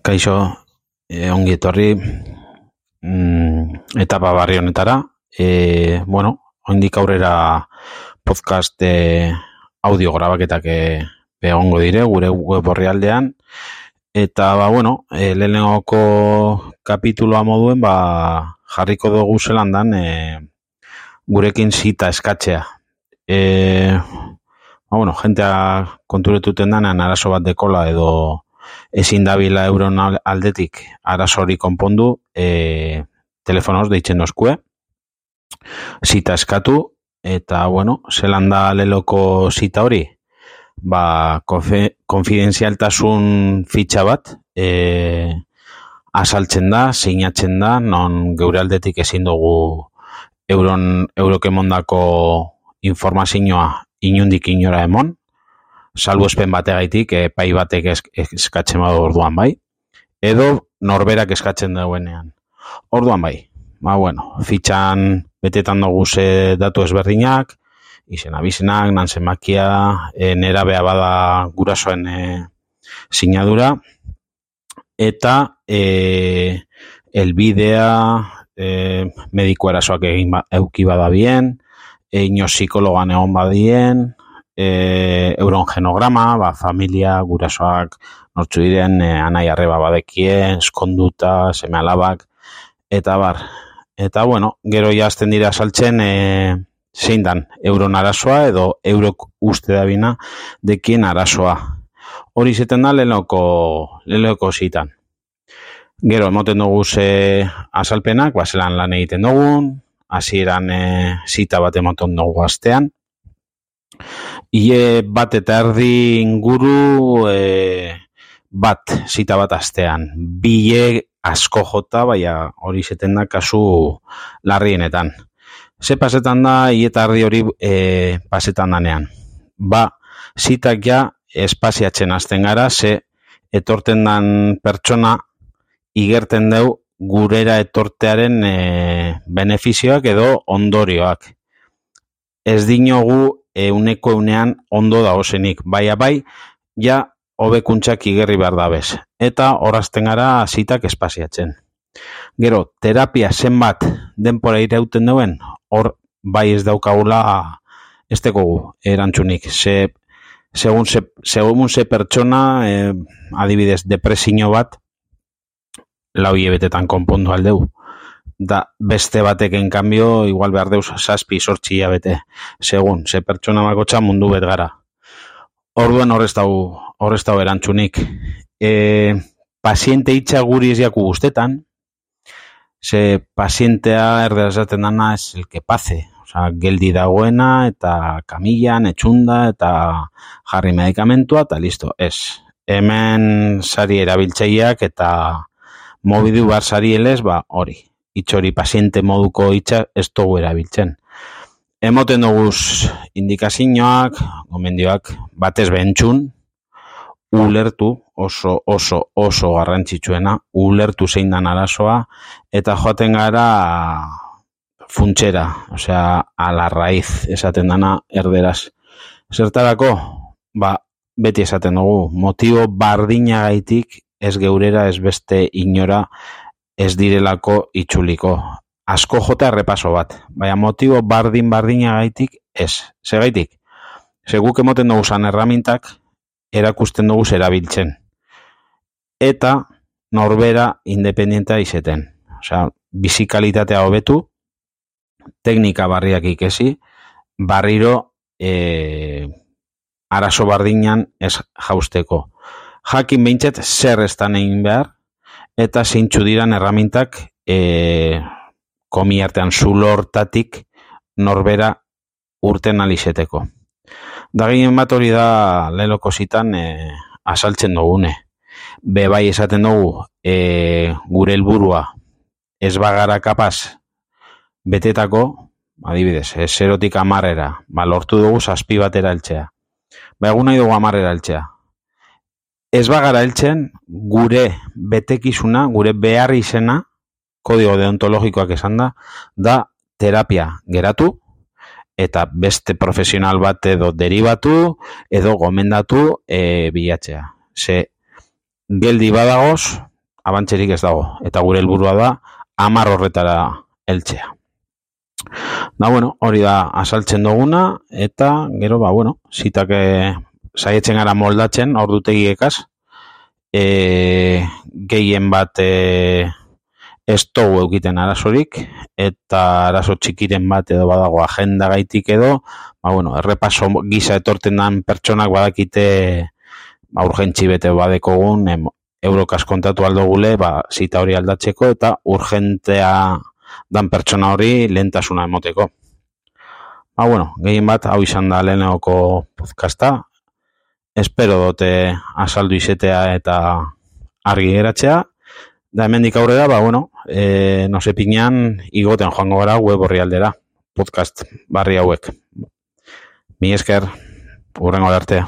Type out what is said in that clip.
Kaixo, ongi etorri etapa barri honetara. Oraindik aurrera podcast audio grabaketak egongo dire gure web orrialdean. Eta lehenengoko kapituloa moduen jarriko dugu zelandan gurekin zita eskatzea. Jentea konturetuten danean arazo bat dekola edo ezin dabila euron aldetik arazori konpondu, telefonoz deitzen dozkue, zita eskatu, eta zelan da leloko zita hori, konfidenzialtasun fitxa bat azaltzen da, sinatzen da, non geure aldetik ezin dugu eurokemondako informazioa inundik inora emon, salbuespen bategaitik epai batek eskatzen badu orduan bai, edo norberak eskatzen dauenean. Orduan bai, fitxan betetan dugu ze datu ezberdinak, izena bizenak, nanzenmakia, nerabea bada gurasoen sinadura, eta elbidea, mediko erasoak egin euki bada bien, ino psikologan egon badien, euron genograma, familia, gurasoak, nortzu diren, anai arreba badekie, eskonduta, seme alabak, eta bar. Eta gero jazten dira saltzen zein dan euron arazoa edo eurok uste dabina dekien arazoa. Hori zeten da lehenoko zitan. Gero emoten dugu ze azalpenak, zelan lan egiten dugun, hasieran zita bat emoten dugu astean. Ie bat eta erdi inguru zita bat astean. Bile asko jota, hori zeten da kasu larrienetan. Ze pasetan da, ie eta erdi hori pasetan danean. Zitak ja espaziatzen hasten gara, ze etorten dan pertsona igerten deu gurera etortearen benefizioak edo ondorioak. Ez dinogu euneko eunean ondo dagozenik. Bai, ja hobekuntzak igerri behar dabez. Eta horazten gara zitak espaziatzen. Gero, terapia zenbat denpora irauten duen, hor bai ez daukagula ez dekogu erantzunik. Segun ze pertsona, adibidez, depresio bat, lau hilebetetan konpondu aldeu. Da beste batekin kanbio, igual behar deuz 7-8 hilabete, segun, ze pertsona bakotxa mundu bet gara. Orduan horrez dau erantzunik. Paziente hitza guri ez jaku guztetan, ze pazientea erdezaten dana ez el que pace, geldi dagoena eta kamillan, etxunda eta jarri medikamentua eta listo, ez. Hemen sari erabiltzaileak eta mobidu bar sari elez, hori. Itxori paziente moduko hitza ez dugu erabiltzen. Emoten duguz indikazioak, gomendioak, batez bentzun, ulertu, oso garrantzitsuena, ulertu zein dan arazoa, eta joaten gara funtxera, a la raíz, esaten dana erderaz. Zertarako, beti esaten dugu, motibo bardinagaitik ez geurera ez beste inora ez direlako itxuliko. Asko jota errepaso bat. Motibo bardinagaitik ez. Segaitik, seguk emoten dugu zan erramintak erakusten dugu erabiltzen. Eta norbera independientea izeten. Bizikalitatea hobetu, teknika barriak ikesi, barriro arazo bardinan ez jausteko. Jakin behintzet zer estan egin behar, eta zeintzu diran erramintak komi artean zulo hortatik norbera urten alizeteko. Da gehien bat hori da leloko zitan azaltzen dugune. Bai esaten dugu gure helburua ez bagara kapaz betetako, adibidez, 0-tik 10-era, lortu dugu 7 batera heltzea. Egun nahi dugu 10-era heltzea. Ez bagara heltzen gure betekizuna, gure behar izena, kodigo deontologikoak esan da terapia geratu, eta beste profesional bat edo deribatu, edo gomendatu bilatzea. Ze geldi badagoz, abantzerik ez dago. Eta gure helburua da 10 horretara heltzea. Da, hori da asaltzen duguna, eta gero, zitak saietzen gara moldatzen, ordutegiekaz, gehien bat ez dugu eukiten arazorik, eta arazo txikiren bat edo badago agenda gaitik edo, errepaso gisa etorten dan pertsonak badakite urgentzi bete badekogun, eurokaz kontatu aldogule, zita hori aldatzeko, eta urgentea dan pertsona hori lehentasuna emoteko. Gehien bat, hau izan da lehenagoko podcasta. Espero dute azaldu izetea eta argi geratzea. Da hemendik aurrera, no sepinean igoten joango gara web horri aldera. Podcast barri hauek. Mi esker, hurrengo arte.